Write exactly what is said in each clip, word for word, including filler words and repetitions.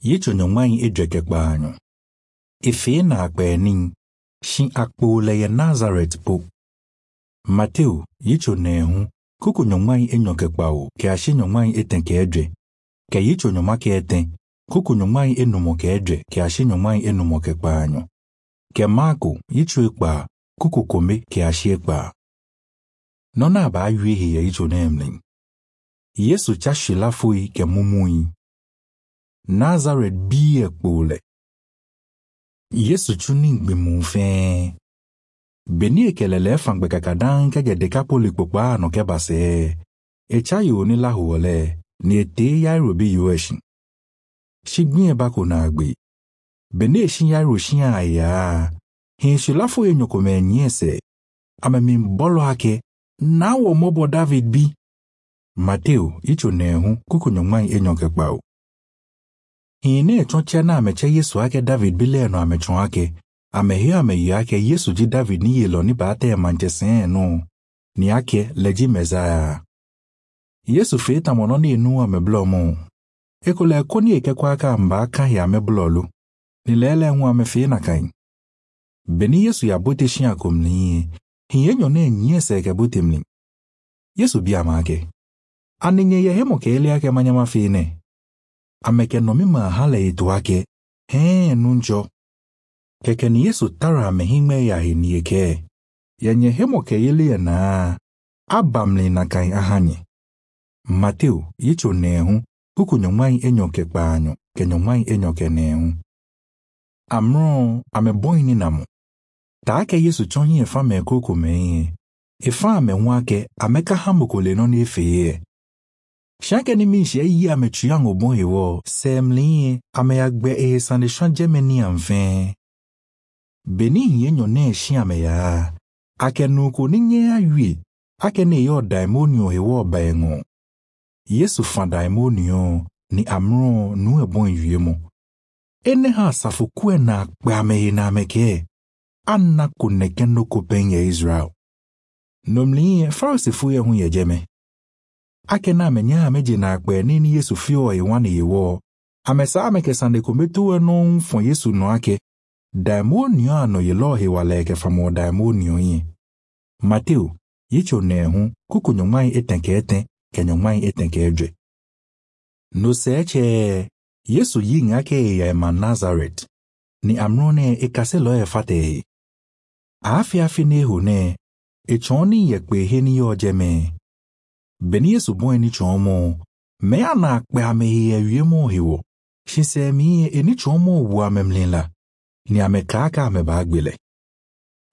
Yecho nyongwai edweke kpaanyo. Efe na akpeni shi akpole ya Nazareth po. Mateo yicho nehu kuku nyongwai enyoke kpao ke ashi nyongwai etenke edwe. Ke yicho nyomake eten kuku nyongwai enumo ke edwe ke ashi nyongwai enumo ke kpaanyo. Ke Marko yicho ekpa kuku kome ke ashi ekpa. Nona ba ayuehe ya yicho nemlin. Yesu cha shilafui ke mumui. Nazareth bi ekpole. Yesu chuni gbimu fe. Beni ekelele fangbe kakadan ke Dekapoli kpokpa ano ke base. Echa yo ni lahuole ni ete yairo bi yoeshi. Shigbin eba ko na agbe. Beni eshin yairo shin aya. Hin shilafo enyoko me nyese. Ame min bolo ake na wo mobo David bi. Mateo icho nehu kuku nyongmai enyoke kpao. Hine chonche na ameche Yesu ake David bile no amechon ake. Amehio ameyo ake Yesu ji David ni yelo ni baate manchese no. Ni ake leji mezaya. Yesu feta mono ni enu ameblomo. Ekole koni eke kwa aka mba aka ya ameblolu. Ni lele nwa amefe na kain. Beni Yesu ya bote shin akomli. Hiye nyone nyese eke bote mli. Yesu bi amake. Aninye ye hemo ke ele ake manyama fene. Ameke no mima hale itu ake. He nunjo. Keke ni Yesu tara amehime ya hinieke. Yenye hemo ke ele na abamli na kain ahanye. Mateo yicho nehu kuku nyongwai enyoke kpaanyo ke nyongwai enyoke nehu. Amro ameboini namo. Taake Yesu chonyi efa me koko meye. Efa ame ameka hamukole no ni efeye. Shake ni mishi eyi ametu obon ewo semli ame agbe e sande shanje meni amfen. Beni hiye nyone shi ame ya. Ake nuko ni nye aywe. Ake ne yo daimonio ewo ba engo. Yesu fa daimonio ni amro nu ebon wie mo. Ene ha asafo na akpe ame na ameke. Anna kuneke no kopen ye Israel. Nomli Farisifu ye hu ye jeme. Ake na amenya ameje na akpe nini Yesu fio e wane yewo. Amesa ameke sande kometu eno mfon Yesu no ake. Daimonio ano ye lo he waleke famo daimonio yi. Mateo, yicho nehu kuku nyongmai etenke eten ke nyongmai etenke edwe. No seche Yesu yi ngake ya ema Nazareth. Ni amrone ekase lo e fate. Afi afi nehu ne echoni yekpe he ni yo jeme. Beni Yesu bon eni chomo me ana akpe amehi ewie mo hiwo. Shinse mi eni chomo wu amemlinla. Ni amekaka ameba agbele.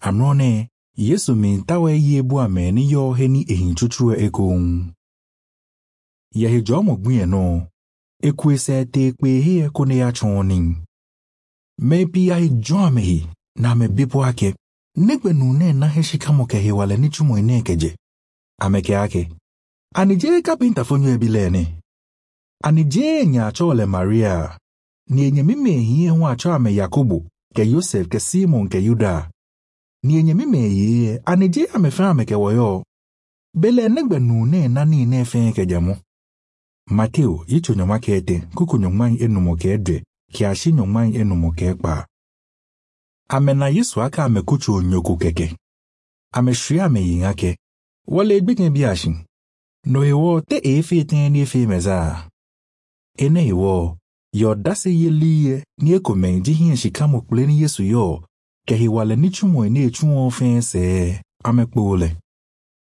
Amrone Yesu mi ntawe yebu ame ni yo he ni ehin chuchu ekon. Yehe jomo gbin no. Ekwese te ekpe he ko ne ya choni. Me pi ya jo amehi na me bipo ake. Negbe nu ne na he shikamo ke he wale ni chumo ine keje. Ameke ake. Anije kapinta fonyo ebilene. Anije nya achole Maria. Ni enye mime hiye hu acho ame Yakobo ke Yosef ke Simon ke Yuda. Ni enye mime hiye anije ame fe ame ke woyo. Bele negbe nu ne na ni ne fe ke jamu. Mateo yicho nyoma ke ete kuku nyoma enumo ke edwe ke ashi nyoma enumo ke ekpa. Ame na Yesu aka ame kuchu onyoku keke. Ame shri ame yin ake. Wale egbekin bi ashin. No ewo te efe eten ni efe meza. Ene ewo yo dase ye liye ni ekome ji hin shikamo kple ni Yesu yo ke hi wale ni chumo ene echuo fe se ame kpole.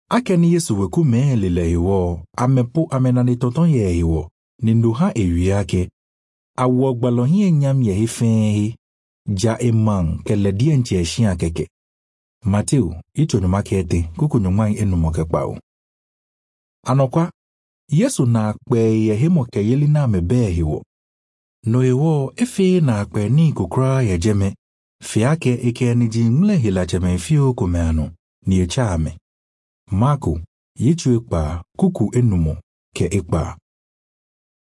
Ake ni Yesu weku me lele ewo ame po ame na ni tonton ye ewo ni ndo ha ewi ake. Awo gbalo hin enyam ye he fe he. Ja eman ke le die nche shin akeke. Mateo icho nyuma kete kuku nyuma enumo ke kpao. Anokwa Yesu na akpe ye hemo ke yeli na amebe hiwo. No ewo efe na akpe ni kukra ye jeme. Fiake eke ni ji ngle hila cheme fio kumeano ni echa ame. Marko yichu ekpa kuku enumo ke ekpa.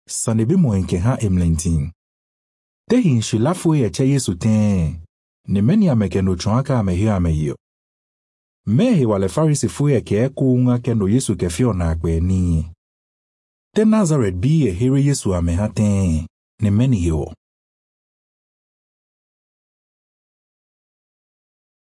Sanebe mo enke ha emlentin. Tehi nshilafu ye che Yesu ten. Ni meni ameke no chonaka amehio amehio. Mehe wale Farisi fuye ke eku unga ke no Yesu ke fio na akpe ni. Te Nazareth bi ye here Yesu ame ha ten. Ne meni yewɔ.